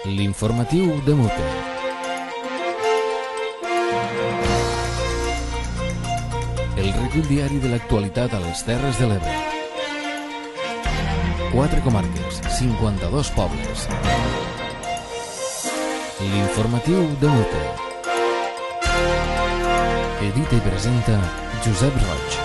L'informatiu de Mute. El recull diari de l'actualitat a les Terres de l'Ebre. 4 comarques, 52 pobles. L'informatiu de Mute. Edita i presenta Josep Roig.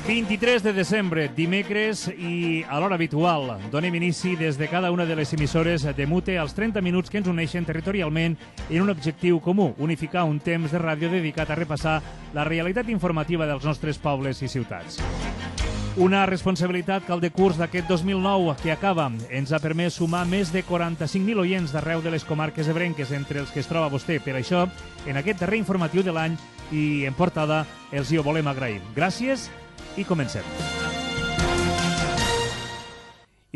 23 de desembre, dimecres, i a l'hora habitual donem inici des de cada una de les emissores de Mute als 30 minuts que ens uneixen territorialment en un objectiu comú, unificar un temps de ràdio dedicat a repassar la realitat informativa dels nostres pobles i ciutats. Una responsabilitat que el decurs d'aquest 2009 que acaba ens ha permès sumar més de 45.000 oients d'arreu de les comarques ebrenques, entre els que es troba vostè. Per això, en aquest darrer informatiu de l'any i en portada, els hi ho volem agrair. Gràcies i comencem.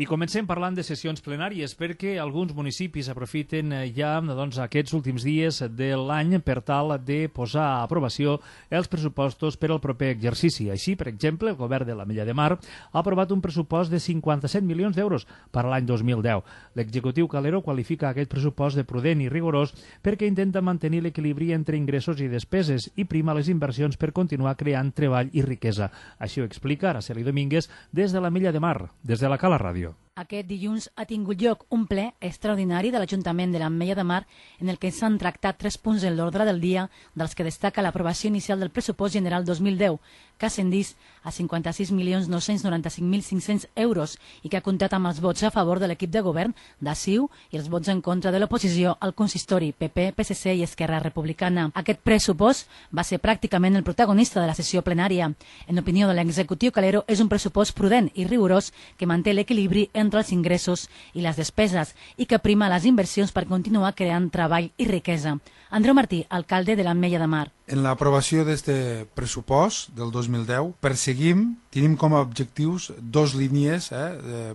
I comencem parlant de sessions plenàries perquè alguns municipis aprofiten ja aquests últims dies de l'any per tal de posar a aprovació els pressupostos per al proper exercici. Així, per exemple, el govern de l'Ametlla de Mar ha aprovat un pressupost de 57 milions d'euros per a l'any 2010. L'executiu Calero qualifica aquest pressupost de prudent i rigorós perquè intenta mantenir l'equilibri entre ingressos i despeses i prima les inversions per continuar creant treball i riquesa. Així ho explica Araceli Domínguez des de l'Ametlla de Mar, des de la Cala Ràdio. Aquest dilluns ha tingut lloc un ple extraordinari de l'Ajuntament de l'Ametlla de Mar en el que s'han tractat 3 punts en l'ordre del dia, dels que destaca l'aprovació inicial del pressupost general 2010, que ha ascendit a 56.995.500 euros i que ha comptat amb els vots a favor de l'equip de govern de CiU i els vots en contra de l'oposició al consistori PP, PSC i Esquerra Republicana. Aquest pressupost va ser pràcticament el protagonista de la sessió plenària. En opinió de l'executiu Calero, és un pressupost prudent i rigorós que manté l'equilibri entre els ingressos i les despeses i que prima les inversions per continuar creant treball i riquesa. Andreu Martí, alcalde de l'Ametlla de Mar. En l'aprovació d'aquest pressupost del 2010 tenim com a objectius 2 línies,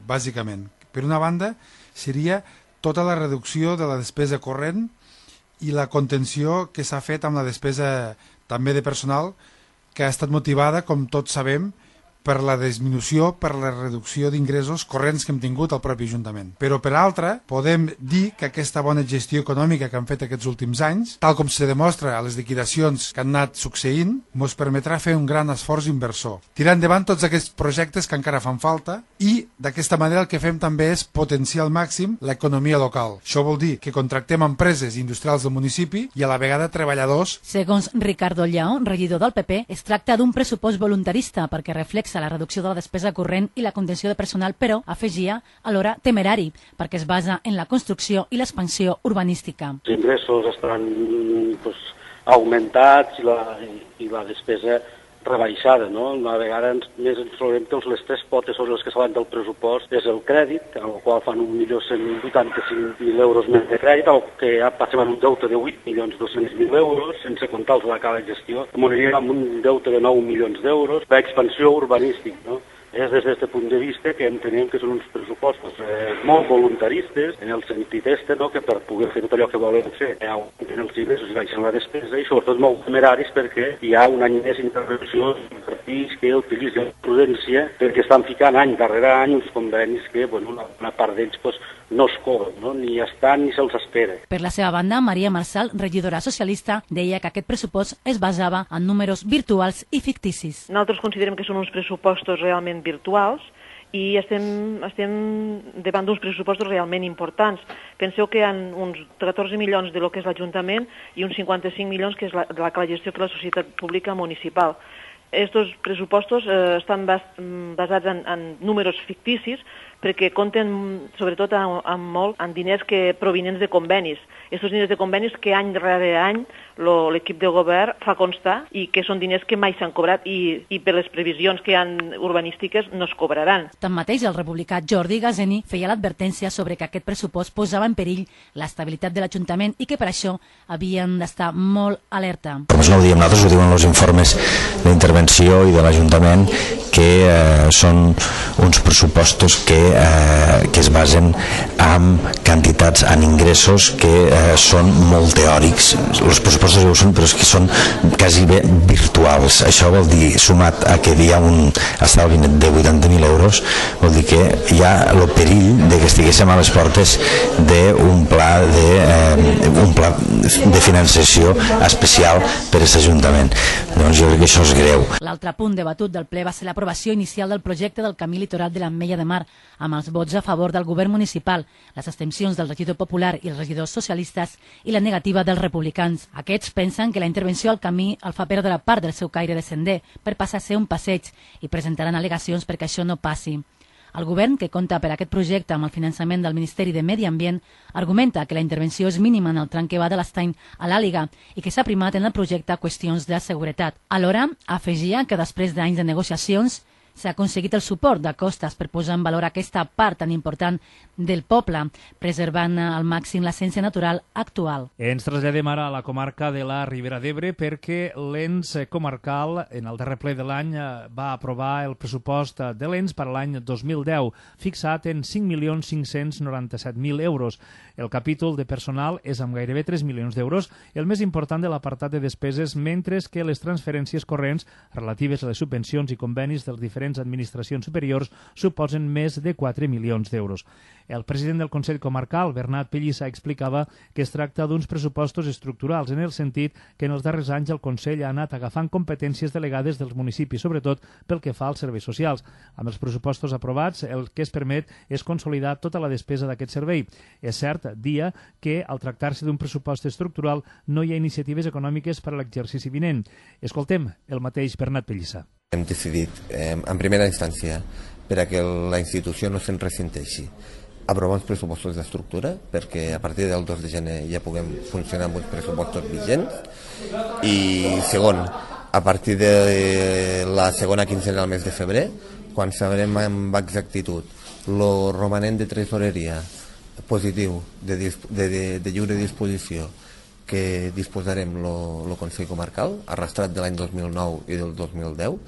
bàsicament. Per una banda, seria tota la reducció de la despesa corrent i la contenció que s'ha fet amb la despesa també de personal, que ha estat motivada, com tots sabem, per la disminució, per la reducció d'ingressos corrents que hem tingut al propi Ajuntament. Però, per altra, podem dir que aquesta bona gestió econòmica que han fet aquests últims anys, tal com se demostra a les liquidacions que han anat succeint, ens permetrà fer un gran esforç inversor. Tirar endavant tots aquests projectes que encara fan falta i, d'aquesta manera, el que fem també és potenciar al màxim l'economia local. Això vol dir que contractem empreses industrials del municipi i a la vegada treballadors. Segons Ricardo Lleó, regidor del PP, es tracta d'un pressupost voluntarista perquè reflexa la reducció de la despesa corrent i la contenció de personal, però, afegia, alhora temerari, perquè es basa en la construcció i l'expansió urbanística. Els ingressos estaran augmentats i la despesa rebaixada, no? Una vegada més ens trobem que les 3 potes sobre les que s'avan del pressupost és el crèdit, al qual fan 1.185.000 euros més de crèdit, el que ja passem amb un deute de 8.200.000 euros, sense comptar els de la cala de gestió, moriríem amb un deute de 9 milions d'euros, l'expansió urbanística, no? És des d'aquest punt de vista que entenem que són uns pressupostos molt voluntaristes, en el sentit no? Que per poder fer tot allò que volen fer augmenten els ingressos i baixen la despesa, i sobretot molt temeraris perquè hi ha un any més d'intervenció partits que utilitzen la prudència perquè estan ficant any darrere any uns convenis que una part d'ells no es cobren, no? Ni estan ni se'ls espera. Per la seva banda, Maria Marçal, regidora socialista, deia que aquest pressupost es basava en números virtuals i ficticis. Nosaltres considerem que són uns pressupostos realment virtuals i estem davant d'uns pressupostos realment importants. Penseu que hi ha uns 14 milions de lo que és l'Ajuntament i uns 55 milions que és la gestió que és la societat pública municipal. Estos pressupostos estan basats en números ficticis perquè compten sobretot molt en diners provinents de convenis. Estos diners de convenis que any rere any l'equip de govern fa constar i que són diners que mai s'han cobrat i per les previsions que hi ha urbanístiques no es cobraran. Tanmateix, el republicà Jordi Gazeni feia l'advertència sobre que aquest pressupost posava en perill l'estabilitat de l'Ajuntament i que per això havien d'estar molt alerta. Com no ho diem nosaltres, ho diuen els informes d'intervenció intervenció i de l'Ajuntament, que són uns pressupostos que es basen en quantitats, en ingressos que són molt teòrics. Els pressupostos ja ho són, però és que són quasi bé virtuals. Això vol dir, sumat a que hi ha un estalvi net de 80.000 euros, vol dir que hi ha el perill de que estiguéssim a les portes d'un pla de finançació especial per a aquest Ajuntament. Doncs jo crec que això és greu. L'altre punt debatut del ple va ser l'aprovació inicial del projecte del camí litoral de l'Ametlla de Mar, amb els vots a favor del govern municipal, les abstencions del regidor popular i els regidors socialistes i la negativa dels republicans. Aquests pensen que la intervenció al camí el fa perdre part del seu caire de sender per passar a ser un passeig i presentaran al·legacions perquè això no passi. El govern, que compta per aquest projecte amb el finançament del Ministeri de Medi Ambient, argumenta que la intervenció és mínima en el tram que va de l'Estany a l'Àliga i que s'ha primat en el projecte qüestions de seguretat. Alhora, afegia que després d'anys de negociacions s'ha aconseguit el suport de Costas per posar en valor aquesta part tan important del poble, preservant al màxim l'essència natural actual. Ens traslladem ara a la comarca de la Ribera d'Ebre perquè l'ENS comarcal, en el darrer ple de l'any, va aprovar el pressupost de l'ENS per a l'any 2010, fixat en 5.597.000 euros. El capítol de personal és amb gairebé 3 milions d'euros, el més important de l'apartat de despeses, mentre que les transferències corrents relatives a les subvencions i convenis dels diferents administracions superiors suposen més de 4 milions d'euros. El president del Consell Comarcal, Bernat Pellissa, explicava que es tracta d'uns pressupostos estructurals, en el sentit que en els darrers anys el Consell ha anat agafant competències delegades dels municipis, sobretot pel que fa als serveis socials. Amb els pressupostos aprovats, el que es permet és consolidar tota la despesa d'aquest servei. És cert, dia, que al tractar-se d'un pressupost estructural no hi ha iniciatives econòmiques per a l'exercici vinent. Escoltem el mateix Bernat Pellissa. Hem decidit, en primera instància, per a que la institució no se'n ressenteixi, aprovar uns pressupostos d'estructura, perquè a partir del 2 de gener ja puguem funcionar amb uns pressupostos vigents, i segon, a partir de la segona quinzena del mes de febrer, quan sabrem amb exactitud el romanent de tresoreria positiu de lliure disposició que disposarem el Consell Comarcal, arrastrat de l'any 2009 i del 2010,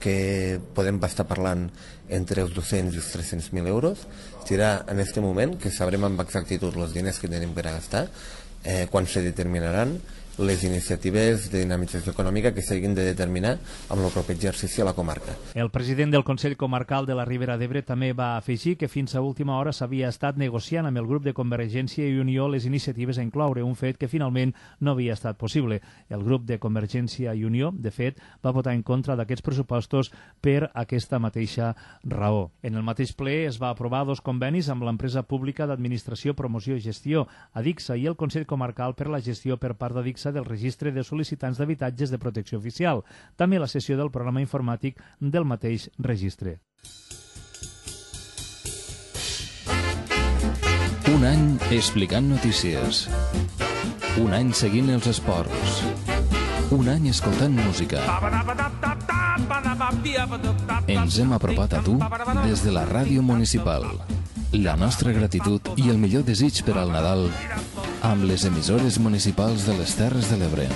que podem estar parlant entre els 200 i els 300.000 euros. Serà en aquest moment que sabrem amb exactitud els diners que tenim per a gastar, quan se determinaran les iniciatives de dinamització econòmica que s'hagin de determinar amb el proper exercici a la comarca. El president del Consell Comarcal de la Ribera d'Ebre també va afegir que fins a última hora s'havia estat negociant amb el grup de Convergència i Unió les iniciatives a incloure, un fet que finalment no havia estat possible. El grup de Convergència i Unió, de fet, va votar en contra d'aquests pressupostos per aquesta mateixa raó. En el mateix ple es va aprovar 2 convenis amb l'empresa pública d'administració, promoció i gestió, ADICSA, i el Consell Comarcal per la gestió per part d'ADICSA del registre de sol·licitants d'habitatges de protecció oficial, també la sessió del programa informàtic del mateix registre. Un any explicant notícies. Un any seguint els esports. Un any escoltant música. Ens hem apropat a tu des de la ràdio municipal. La nostra gratitud i el millor desig per al Nadal amb les emissores municipals de les Terres de l'Ebre.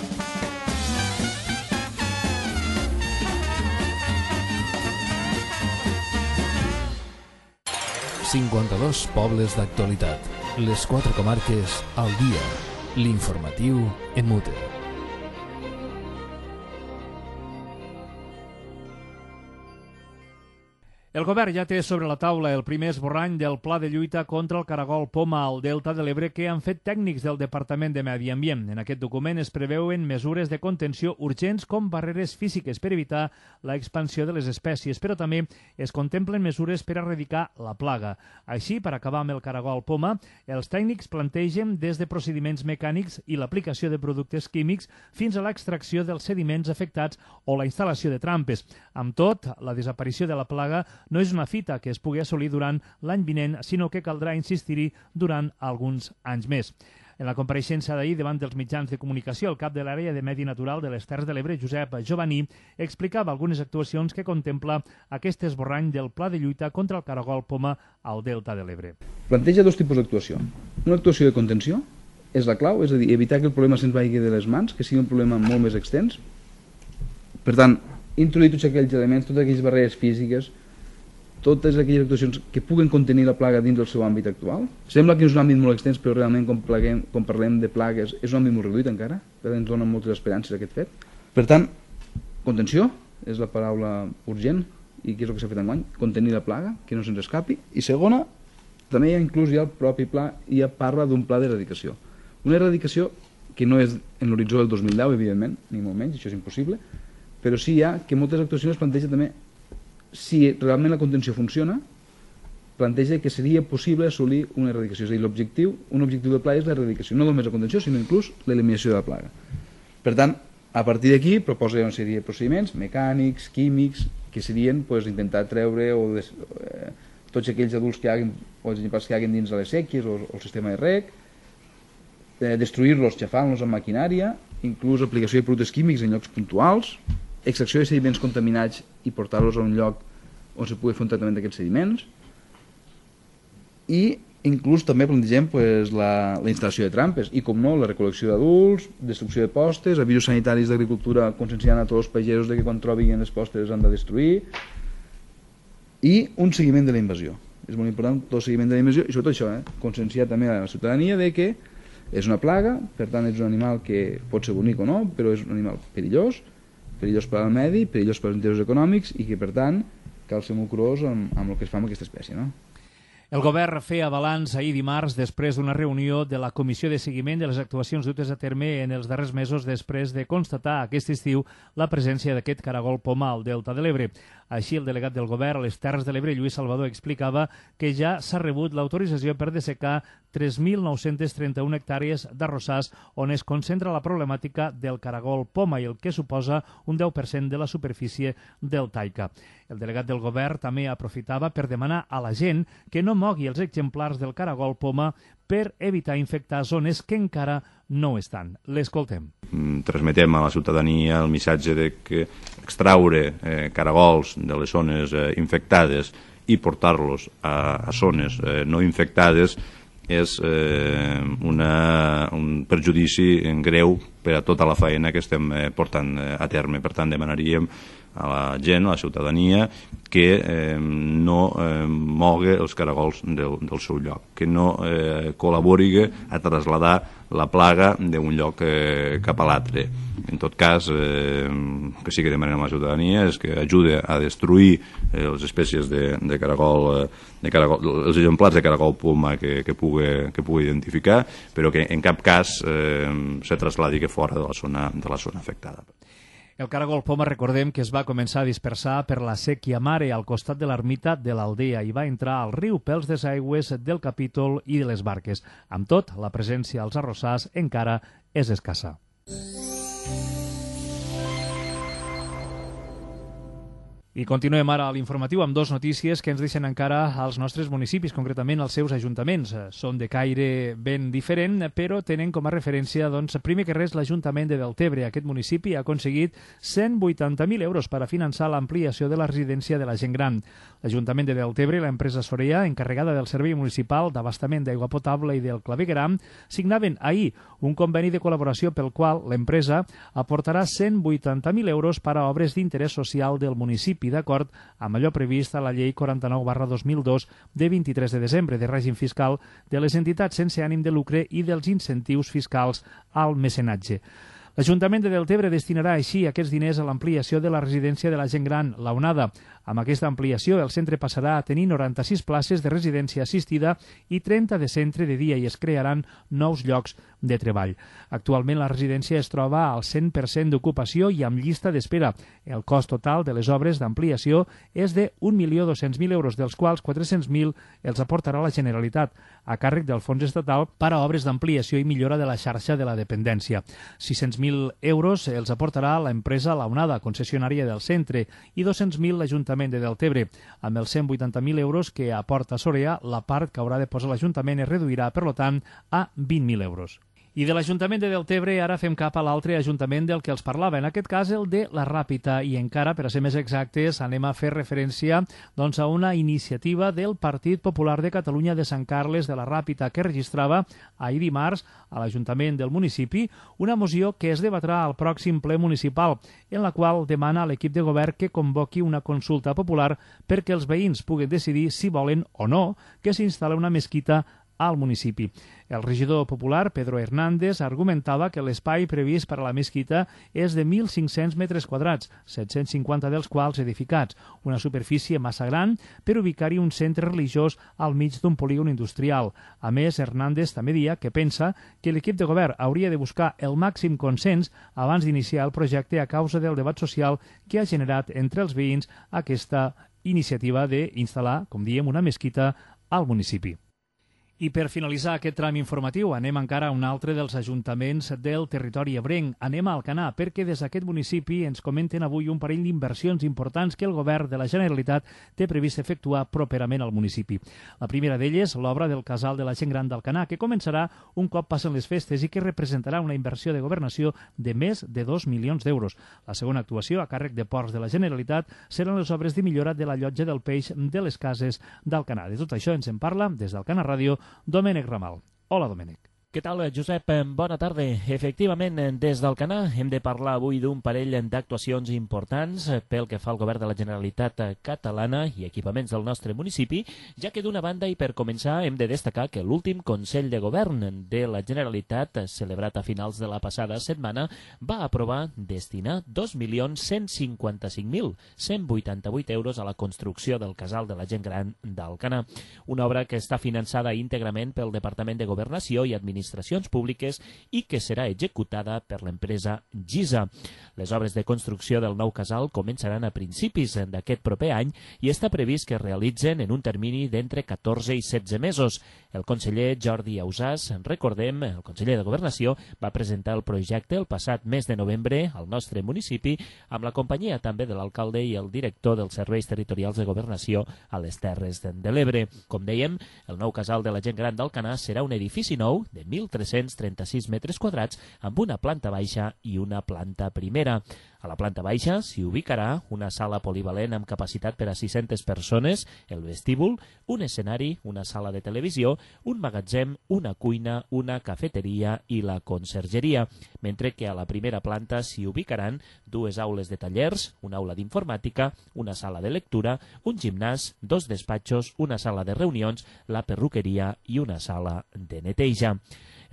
«52 pobles d'actualitat. Les 4 comarques al dia. L'informatiu EMUTE». El govern ja té sobre la taula el primer esborrany del pla de lluita contra el caragol poma al Delta de l'Ebre que han fet tècnics del Departament de Medi Ambient. En aquest document es preveuen mesures de contenció urgents com barreres físiques per evitar la expansió de les espècies, però també es contemplen mesures per erradicar la plaga. Així, per acabar amb el caragol poma, els tècnics plantegen des de procediments mecànics i l'aplicació de productes químics fins a l'extracció dels sediments afectats o la instal·lació de trampes. Amb tot, la desaparició de la plaga no és una fita que es pugui assolir durant l'any vinent, sinó que caldrà insistir-hi durant alguns anys més. En la compareixença d'ahir davant dels mitjans de comunicació, el cap de l'àrea de Medi Natural de les Terres de l'Ebre, Josep Jovaní, explicava algunes actuacions que contempla aquest esborrany del pla de lluita contra el caragol poma al Delta de l'Ebre. Planteja 2 tipus d'actuació. Una actuació de contenció és la clau, és a dir, evitar que el problema se'ns vagi de les mans, que sigui un problema molt més extens. Per tant, introduir tots aquells elements, totes aquelles barreres físiques, totes aquelles actuacions que puguen contenir la plaga dins del seu àmbit actual. Sembla que és un àmbit molt extens, però realment quan parlem de plagues és un àmbit molt reduït encara, per tant ens dona moltes esperances aquest fet. Per tant, contenció és la paraula urgent, i què és el que s'ha fet enguany? Contenir la plaga, que no se'ns escapi. I segona, també inclús ja el propi pla ja parla d'un pla d'erradicació. Una erradicació que no és en l'horitzó del 2010, evidentment, ni molt menys, això és impossible, però sí hi ha que moltes actuacions planteja també, si realment la contenció funciona, planteja que seria possible assolir una erradicació. És a dir, un objectiu de plaga és l'erradicació, no només la contenció, sinó inclús l'eliminació de la plaga. Per tant, a partir d'aquí proposa una sèrie de procediments mecànics, químics, que serien intentar treure tots aquells adults que hi hagin, o els exemples que hi hagin dins de les sèquies o el sistema de rec, destruir-los, xafant-los amb maquinària, inclús aplicació de productes químics en llocs puntuals, extracció de sediments contaminats i portar-los a un lloc on se pugui fer un tractament d'aquests sediments, i inclús també plantegem la instal·lació de trampes i, com no, la recol·lecció d'adults, destrucció de postes, avisos sanitaris d'agricultura conscienciant a tots els pagesos de que quan trobin les postes han de destruir, i un seguiment de la invasió. És molt important tot el seguiment de la invasió i sobretot això, conscienciar també a la ciutadania de que és una plaga, per tant és un animal que pot ser bonic o no, però és un animal perillós per al medi, perillós per als interessos econòmics i que per tant cal ser molt curós amb el que es fa amb aquesta espècie, no? El govern feia balanç ahir dimarts després d'una reunió de la Comissió de Seguiment de les actuacions dutes a terme en els darrers mesos després de constatar aquest estiu la presència d'aquest caragol poma al Delta de l'Ebre. Així, el delegat del govern a les Terres de l'Ebre, Lluís Salvador, explicava que ja s'ha rebut l'autorització per dessecar 3.931 hectàrees d'arrossars on es concentra la problemàtica del caragol poma i el que suposa un 10% de la superfície del Taica. El delegat del govern també aprofitava per demanar a la gent que no mogui els exemplars del caragol poma per evitar infectar zones que encara no estan. L'escoltem. Transmetem a la ciutadania el missatge de que extraure caragols de les zones infectades i portar-los a zones no infectades és un perjudici greu per a tota la feina que estem portant a terme. Per tant, demanaríem a la gent, a la ciutadania, que no mogui els caragols del seu lloc, que no col·labori a traslladar la plaga d'un lloc cap a l'altre. En tot cas, que sí que demanem a la ciutadania és que ajude a destruir les espècies de caragol, els exemplars de caragol poma que pugui identificar, però que en cap cas se trasladi fora de la zona afectada. El caragol poma, recordem que es va començar a dispersar per la sèquia Mare al costat de l'ermita de l'Aldea i va entrar al riu pels desaigües del capítol i de les barques. Amb tot, la presència als arrossars encara és escassa. I continuem ara a l'informatiu amb dues notícies que ens deixen encara als nostres municipis, concretament als seus ajuntaments. Són de caire ben diferent, però tenen com a referència, primer que res, l'Ajuntament de Deltebre. Aquest municipi ha aconseguit 180.000 euros per a finançar l'ampliació de la residència de la gent gran. L'Ajuntament de Deltebre i l'empresa Sorea, encarregada del Servei Municipal d'Abastament d'Aigua Potable i del Clavegueram, signaven ahir un conveni de col·laboració pel qual l'empresa aportarà 180.000 euros per a obres d'interès social del municipi, d'acord amb allò previst a la Llei 49/2002 de 23 de desembre de règim fiscal de les entitats sense ànim de lucre i dels incentius fiscals al mecenatge. L'Ajuntament de Deltebre destinarà així aquests diners a l'ampliació de la residència de la gent gran, la Onada. Amb aquesta ampliació, el centre passarà a tenir 96 places de residència assistida i 30 de centre de dia i es crearan nous llocs de treball. Actualment la residència es troba al 100% d'ocupació i amb llista d'espera. El cost total de les obres d'ampliació és de 1.200.000 euros, dels quals 400.000 els aportarà la Generalitat, a càrrec del Fons Estatal per a obres d'ampliació i millora de la xarxa de la dependència. 600.000 euros els aportarà l'empresa La Onada, concessionària del centre, i 200.000 l'Ajuntament de Deltebre. Amb els 180.000 euros que aporta Sorea, la part que haurà de posar l'Ajuntament es reduirà, per tant, a 20.000 euros. I de l'Ajuntament de Deltebre ara fem cap a l'altre ajuntament del que els parlava, en aquest cas el de la Ràpita, i encara, per a ser més exactes, anem a fer referència doncs, a una iniciativa del Partit Popular de Catalunya de Sant Carles de la Ràpita que registrava ahir dimarts a l'Ajuntament del municipi una moció que es debatrà al pròxim ple municipal, en la qual demana a l'equip de govern que convoqui una consulta popular perquè els veïns puguen decidir si volen o no que s'instal·li una mesquita al municipi. El regidor popular, Pedro Hernández, argumentava que l'espai previst per a la mesquita és de 1.500 metres quadrats, 750 dels quals edificats, una superfície massa gran per ubicar-hi un centre religiós al mig d'un polígon industrial. A més, Hernández també deia que pensa que l'equip de govern hauria de buscar el màxim consens abans d'iniciar el projecte a causa del debat social que ha generat entre els veïns aquesta iniciativa d'instal·lar, com diem, una mesquita al municipi. I per finalitzar aquest tram informatiu anem encara a un altre dels ajuntaments del territori ebrenc. Anem a Alcanar perquè des d'aquest municipi ens comenten avui un parell d'inversions importants que el govern de la Generalitat té previst efectuar properament al municipi. La primera d'elles, l'obra del Casal de la Gent Gran d'Alcanar, que començarà un cop passen les festes i que representarà una inversió de governació de més de 2 milions d'euros. La segona actuació, a càrrec de Ports de la Generalitat, seran les obres de millora de la llotja del peix de les cases d'Alcanar. De tot això ens en parla des d'Alcanar Ràdio Domènec Ramal. Hola, Domènec. Què tal, Josep? Bona tarda. Efectivament, des d'Alcanar hem de parlar avui d'un parell d'actuacions importants pel que fa al govern de la Generalitat catalana i equipaments del nostre municipi, ja que d'una banda i per començar hem de destacar que l'últim Consell de Govern de la Generalitat, celebrat a finals de la passada setmana, va aprovar destinar 2.155.188 euros a la construcció del Casal de la Gent Gran d'Alcanar, una obra que està finançada íntegrament pel Departament de Governació i Administracions Públiques i que serà executada per l'empresa GISA. Les obres de construcció del nou casal començaran a principis d'aquest proper any i està previst que es realitzen en un termini d'entre 14 i 16 mesos. El conseller Jordi Ausàs, recordem, el conseller de Governació, va presentar el projecte el passat mes de novembre al nostre municipi amb la companyia també de l'alcalde i el director dels serveis territorials de governació a les Terres de l'Ebre. Com dèiem, el nou casal de la Gent Gran d'Alcanar serà un edifici nou de 1.336 metres quadrats amb una planta baixa i una planta primera. A la planta baixa s'hi ubicarà una sala polivalent amb capacitat per a 600 persones, el vestíbul, un escenari, una sala de televisió, un magatzem, una cuina, una cafeteria i la consergeria, mentre que a la primera planta s'hi ubicaran dues aules de tallers, una aula d'informàtica, una sala de lectura, un gimnàs, dos despatxos, una sala de reunions, la perruqueria i una sala de neteja.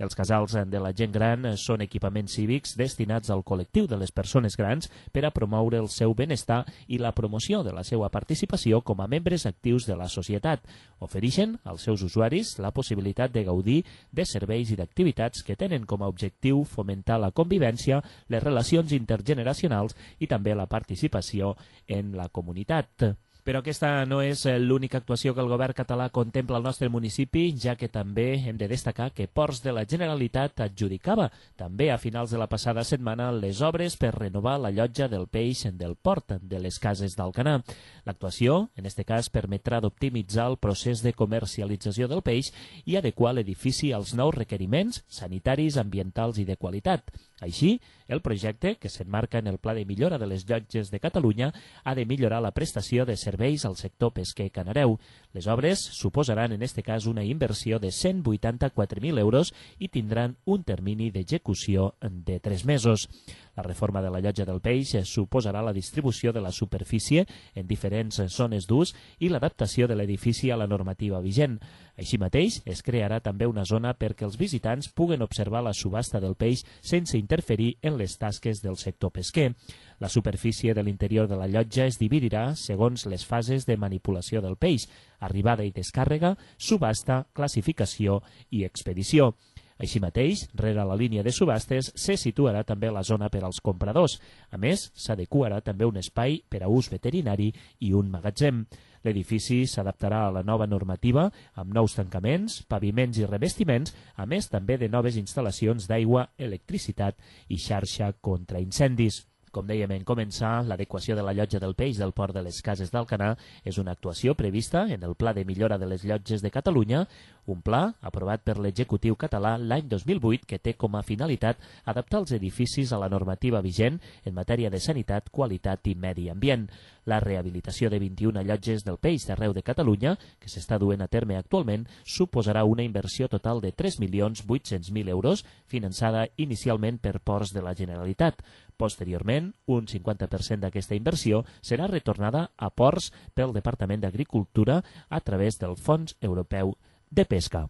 Els casals de la gent gran són equipaments cívics destinats al col·lectiu de les persones grans per a promoure el seu benestar i la promoció de la seva participació com a membres actius de la societat. Ofereixen als seus usuaris la possibilitat de gaudir de serveis i d'activitats que tenen com a objectiu fomentar la convivència, les relacions intergeneracionals i també la participació en la comunitat. Però aquesta no és l'única actuació que el govern català contempla al nostre municipi, ja que també hem de destacar que Ports de la Generalitat adjudicava també a finals de la passada setmana les obres per renovar la llotja del peix del port de les cases d'Alcanar. L'actuació, en aquest cas, permetrà d'optimitzar el procés de comercialització del peix i adequar l'edifici als nous requeriments sanitaris, ambientals i de qualitat. Així, el projecte, que s'emmarca en el Pla de Millora de les Llotges de Catalunya, ha de millorar la prestació de serveis al sector pesquer canareu. Les obres suposaran en aquest cas una inversió de 184.000 euros i tindran un termini d'execució de 3 mesos. La reforma de la llotja del peix suposarà la distribució de la superfície en diferents zones d'ús i l'adaptació de l'edifici a la normativa vigent. Així mateix, es crearà també una zona perquè els visitants puguen observar la subhasta del peix sense interferir en les tasques del sector pesquer. La superfície de l'interior de la llotja es dividirà segons les fases de manipulació del peix, arribada i descàrrega, subhasta, classificació i expedició. Així mateix, rere la línia de subhastes, se situarà també la zona per als compradors. A més, s'adequarà també un espai per a ús veterinari i un magatzem. L'edifici s'adaptarà a la nova normativa amb nous tancaments, paviments i revestiments, a més també de noves instal·lacions d'aigua, electricitat i xarxa contra incendis. Com dèiem en començar, l'adequació de la llotja del Peix del Port de les Cases d'Alcanar és una actuació prevista en el Pla de Millora de les Llotges de Catalunya, un pla aprovat per l'executiu català l'any 2008 que té com a finalitat adaptar els edificis a la normativa vigent en matèria de sanitat, qualitat i medi ambient. La rehabilitació de 21 llotges del Peix d'arreu de Catalunya, que s'està duent a terme actualment, suposarà una inversió total de 3.800.000 euros, finançada inicialment per Ports de la Generalitat. Posteriorment, un 50% d'aquesta inversió serà retornada a Ports pel Departament d'Agricultura a través del Fons Europeu de Pesca.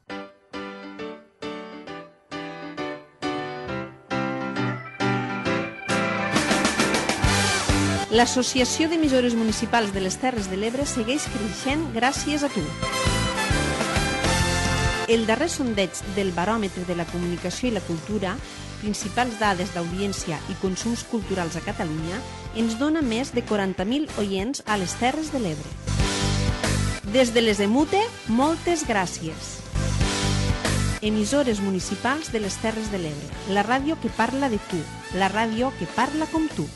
L'Associació d'Emissores Municipals de les Terres de l'Ebre segueix creixent gràcies a tu. El darrer sondeig del Baròmetre de la Comunicació i la Cultura, principals dades d'audiència i consums culturals a Catalunya, ens dona més de 40.000 oients a les Terres de l'Ebre. Des de les EMUTE, moltes gràcies. Emissores municipals de les Terres de l'Ebre, la ràdio que parla de tu, la ràdio que parla com tu.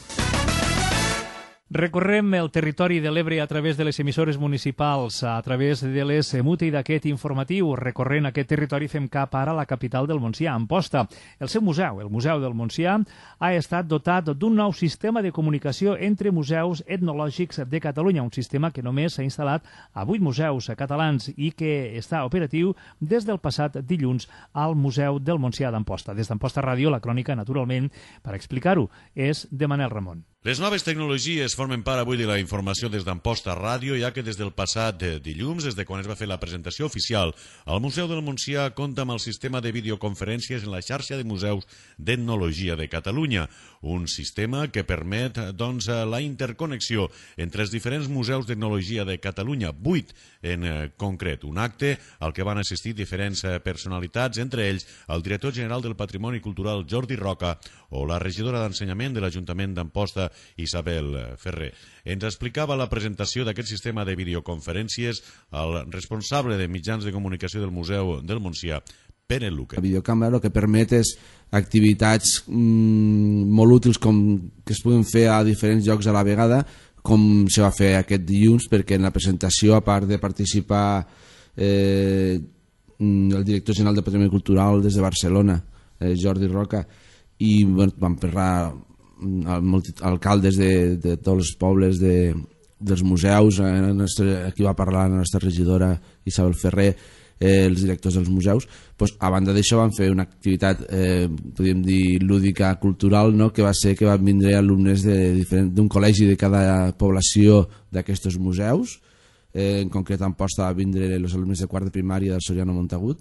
Recorrem el territori de l'Ebre a través de les emissores municipals, a través de les EMUTE i d'aquest informatiu. Recorrent aquest territori fem cap ara a la capital del Montsià, Amposta. El seu museu, el Museu del Montsià, ha estat dotat d'un nou sistema de comunicació entre museus etnològics de Catalunya, un sistema que només s'ha instal·lat a 8 museus catalans i que està operatiu des del passat dilluns al Museu del Montsià d'Amposta. Des d'Amposta Ràdio, la crònica, naturalment, per explicar-ho, és de Manel Ramon. Les noves tecnologies formen part avui de la informació des d'Amposta Ràdio, ja que des del passat dilluns, des de quan es va fer la presentació oficial, el Museu del Montsià compta amb el sistema de videoconferències en la xarxa de museus d'etnologia de Catalunya, un sistema que permet la interconnexió entre els diferents museus d'etnologia de Catalunya, 8 en concret, un acte al que van assistir diferents personalitats, entre ells el director general del Patrimoni Cultural Jordi Roca o la regidora d'Ensenyament de l'Ajuntament d'Amposta Isabel Ferrer. Ens explicava la presentació d'aquest sistema de videoconferències el responsable de mitjans de comunicació del Museu del Montsià, Pere Luque. La videocàmera el que permet és activitats molt útils que es puguen fer a diferents llocs a la vegada, com se va fer aquest dilluns, perquè en la presentació, a part de participar el director general del Patrimoni Cultural des de Barcelona, Jordi Roca, i van parlar alcaldes de tots els pobles dels museus, aquí va parlar la nostra regidora Isabel Ferrer, els directors dels museus. A banda d'això van fer una activitat, podríem dir, lúdica cultural, que va ser que van vindre alumnes d'un col·legi de cada població d'aquests museus. En concret a Amposta van vindre els alumnes de quart de primària del Soriano Montagut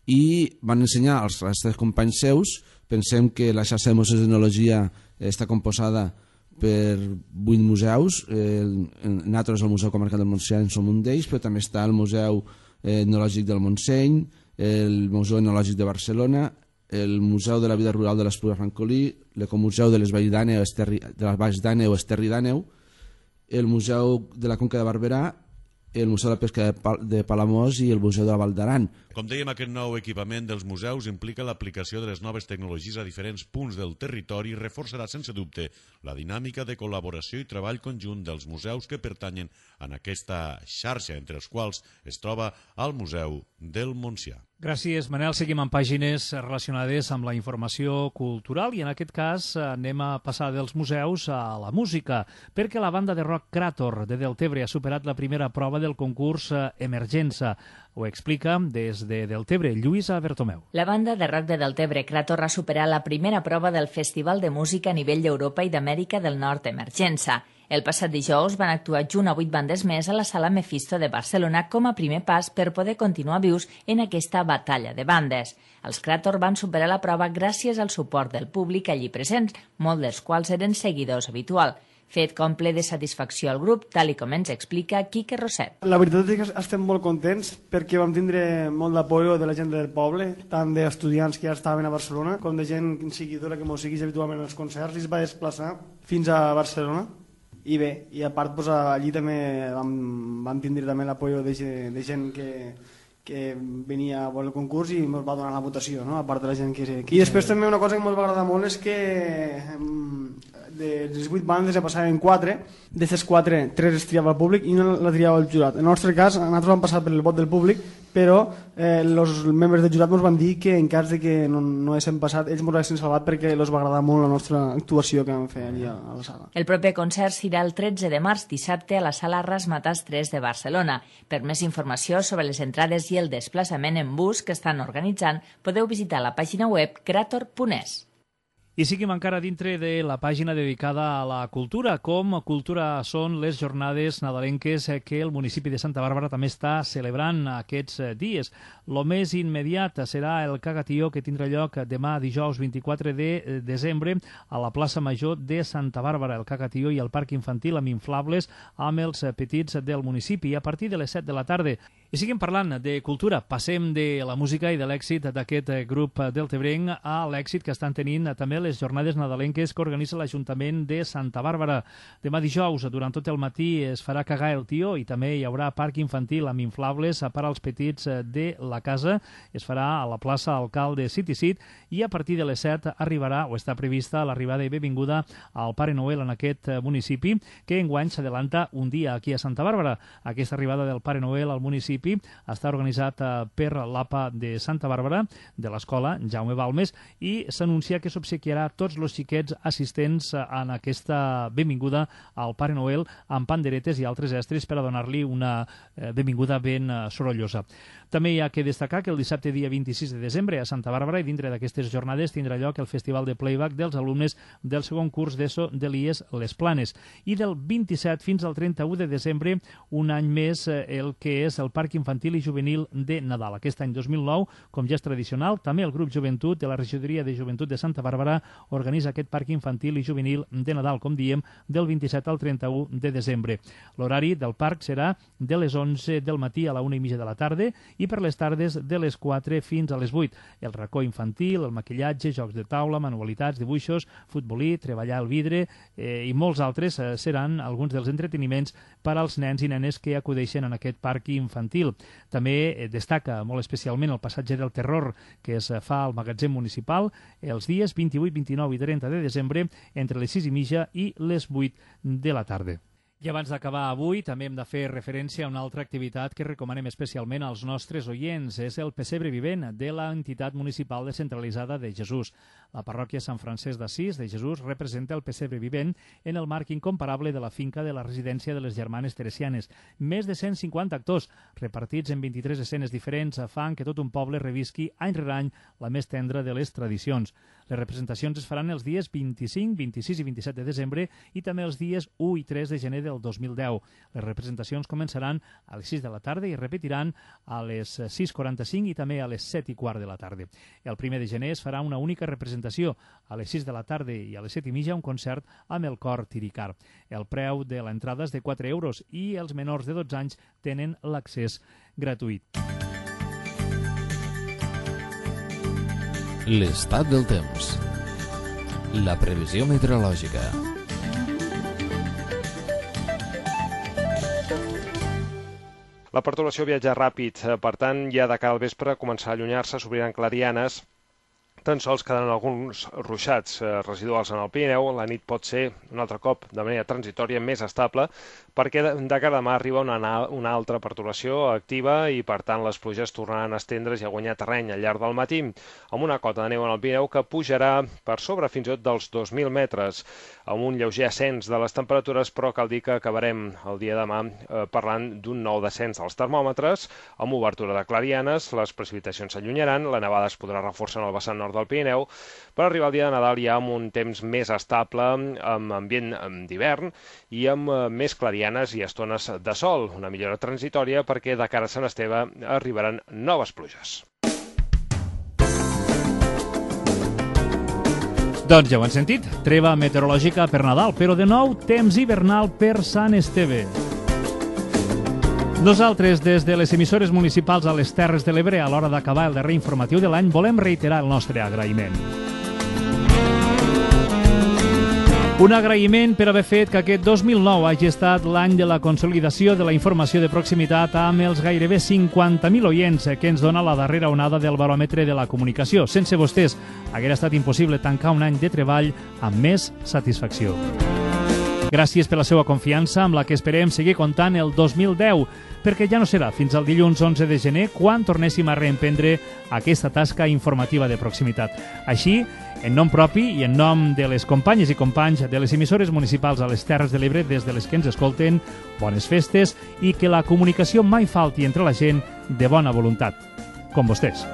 i van ensenyar als nostres companys seus. Pensem que la xarxa de museus d'etnologia està composada per 8 museus. Nosaltres, el Museu Comarcal del Montsià, en som un d'ells, però també està el Museu Etnològic del Montseny, el Museu Etnològic de Barcelona, el Museu de la Vida Rural de l'Espluga Francolí, l'Ecomuseu de les Valls d'Àneu o Esterri d'Àneu, el Museu de la Conca de Barberà, el Museu de la Pesca de Palamós i el Museu de la Val d'Aran. Com dèiem, aquest nou equipament dels museus implica l'aplicació de les noves tecnologies a diferents punts del territori i reforçarà sense dubte la dinàmica de col·laboració i treball conjunt dels museus que pertanyen en aquesta xarxa, entre els quals es troba el Museu del Montsià. Gràcies, Manel. Seguim amb pàgines relacionades amb la informació cultural i en aquest cas anem a passar dels museus a la música, perquè la banda de rock Crator de Deltebre ha superat la primera prova del concurs Emergença. Ho explica des de Deltebre Lluïsa Bertomeu. La banda de rock de Deltebre Crator ha superat la primera prova del Festival de Música a nivell d'Europa i d'Amèrica del Nord Emergença. El passat dijous van actuar junt a 8 bandes més a la Sala Mephisto de Barcelona com a primer pas per poder continuar vius en aquesta batalla de bandes. Els Crator van superar la prova gràcies al suport del públic allí presents, molts dels quals eren seguidors habituals. Fet com ple de satisfacció al grup, tal i com ens explica Quique Roset. La veritat és que estem molt contents perquè vam tindre molt d'apoio de la gent del poble, tant d'estudiants que ja estaven a Barcelona com de gent seguidora que mos segueix habitualment als concerts i es va desplaçar fins a Barcelona. I bé, i a part allí també vam tindre també l'apoio de gent que venia a veure el concurs i ens va donar la votació, no? A part de la gent que... I després també una cosa que ens va agradar molt és que de les 8 bandes ja passaven 4, d'aquestes 4, 3 es triava el públic i una la triava el jurat. En el nostre cas, nosaltres vam passar per el vot del públic, però els membres del jurat ens van dir que en cas de que no haguéssim passat, ells ens haguessin salvat perquè els va agradar molt la nostra actuació que vam fer allà a la sala. El proper concert serà el 13 de març, dissabte, a la sala Razzmatazz 3 de Barcelona. Per més informació sobre les entrades i el desplaçament en bus que estan organitzant, podeu visitar la pàgina web creator.es. I seguim encara dintre de la pàgina dedicada a la cultura. Com cultura són les jornades nadalenques que el municipi de Santa Bàrbara també està celebrant aquests dies. Lo més immediat serà el cagatió que tindrà lloc demà dijous 24 de desembre a la plaça Major de Santa Bàrbara. El cagatió i el parc infantil amb inflables amb els petits del municipi a partir de les 7 de la tarda. I seguim parlant de cultura. Passem de la música i de l'èxit d'aquest grup deltebrenc a l'èxit que estan tenint també les jornades nadalenques que organitza l'Ajuntament de Santa Bàrbara. Demà dijous, durant tot el matí, es farà cagar el tió i també hi haurà parc infantil amb inflables per als petits de la casa. Es farà a la plaça Alcalde City Seat i a partir de les 7 arribarà, o està prevista, l'arribada i benvinguda al Pare Noel en aquest municipi, que enguany s'adelanta un dia aquí a Santa Bàrbara. Aquesta arribada del Pare Noel al municipi està organitzat per l'APA de Santa Bàrbara, de l'escola Jaume Balmes, i s'anuncia que s'obsequiarà tots els xiquets assistents en aquesta benvinguda al Pare Noel amb panderetes i altres estris per a donar-li una benvinguda ben sorollosa. També hi ha que destacar que el dissabte dia 26 de desembre a Santa Bàrbara i dintre d'aquestes jornades tindrà lloc el Festival de Playback dels alumnes del segon curs d'ESO de l'IES Les Planes. I del 27 fins al 31 de desembre, un any més, el que és el Parc Infantil i Juvenil de Nadal. Aquest any 2009, com ja és tradicional, també el grup Joventut de la Regidoria de Joventut de Santa Bàrbara organitza aquest Parc Infantil i Juvenil de Nadal, com diem, del 27 al 31 de desembre. L'horari del parc serà de les 11 del matí a la 1:30 de la tarda i per les tardes de les 4 fins a les 8. El racó infantil, el maquillatge, jocs de taula, manualitats, dibuixos, futbolí, treballar el vidre i molts altres seran alguns dels entreteniments per als nens i nenes que acudeixen en aquest parc infantil. També destaca molt especialment el passatge del terror que es fa al magatzem municipal els dies 28, 29 i 30 de desembre entre les 6:30 i les 8 de la tarda. I abans d'acabar avui, també hem de fer referència a una altra activitat que recomanem especialment als nostres oients. És el pessebre vivent de l'entitat municipal descentralitzada de Jesús. La parròquia Sant Francesc d'Assís de Jesús representa el pessebre vivent en el marc incomparable de la finca de la residència de les Germanes Teresianes. Més de 150 actors, repartits en 23 escenes diferents, fan que tot un poble revisqui any rere any la més tendra de les tradicions. Les representacions es faran els dies 25, 26 i 27 de desembre i també els dies 1 i 3 de gener del 2010. Les representacions començaran a les 6 de la tarda i repetiran a les 6:45 i també a les 7:15 de la tarda. El 1 de gener es farà una única representació. A les 6 de la tarda i a les 7:30 un concert amb el cor Tiricar. El preu de l'entrada és de 4 euros i els menors de 12 anys tenen l'accés gratuït. L'estat del temps. La previsió meteorològica. La pertorbació viatja ràpid, per tant, ja de cara al vespre començarà a allunyar-se, s'obriran clarianes, tan sols quedaran alguns ruixats residuals en el Pirineu. La nit pot ser, un altre cop, de manera transitòria, més estable, perquè de cara a demà arriba una altra pertorbació activa i, per tant, les pluges tornaran a estendre's i a guanyar terreny al llarg del matí, amb una cota de neu en el Pirineu que pujarà per sobre fins i tot dels 2.000 metres, amb un lleuger ascens de les temperatures, però cal dir que acabarem el dia de demà parlant d'un nou descens dels termòmetres, amb obertura de clarianes, les precipitacions s'allunyaran, la nevada es podrà reforçar en el vessant nord del Pirineu, per arribar al dia de Nadal ja amb un temps més estable, amb ambient d'hivern i amb més clarianes i estones de sol, una millora transitòria perquè de cara a Sant Esteve arribaran noves pluges. Doncs ja ho han sentit, treva meteorològica per Nadal, però de nou temps hivernal per Sant Esteve. Nosaltres, des de les emissores municipals a les Terres de l'Ebre, a l'hora d'acabar el darrer informatiu de l'any, volem reiterar el nostre agraïment. Un agraïment per haver fet que aquest 2009 hagi estat l'any de la consolidació de la informació de proximitat amb els gairebé 50.000 oients que ens dona la darrera onada del baròmetre de la comunicació. Sense vostès haguera estat impossible tancar un any de treball amb més satisfacció. Gràcies per la seva confiança, amb la que esperem seguir comptant el 2010, perquè ja no serà fins al dilluns 11 de gener quan tornéssim a reemprendre aquesta tasca informativa de proximitat. Així, en nom propi i en nom de les companyes i companys de les emissores municipals a les Terres de l'Ebre des de les que ens escolten, bones festes i que la comunicació mai falti entre la gent de bona voluntat, com vostès.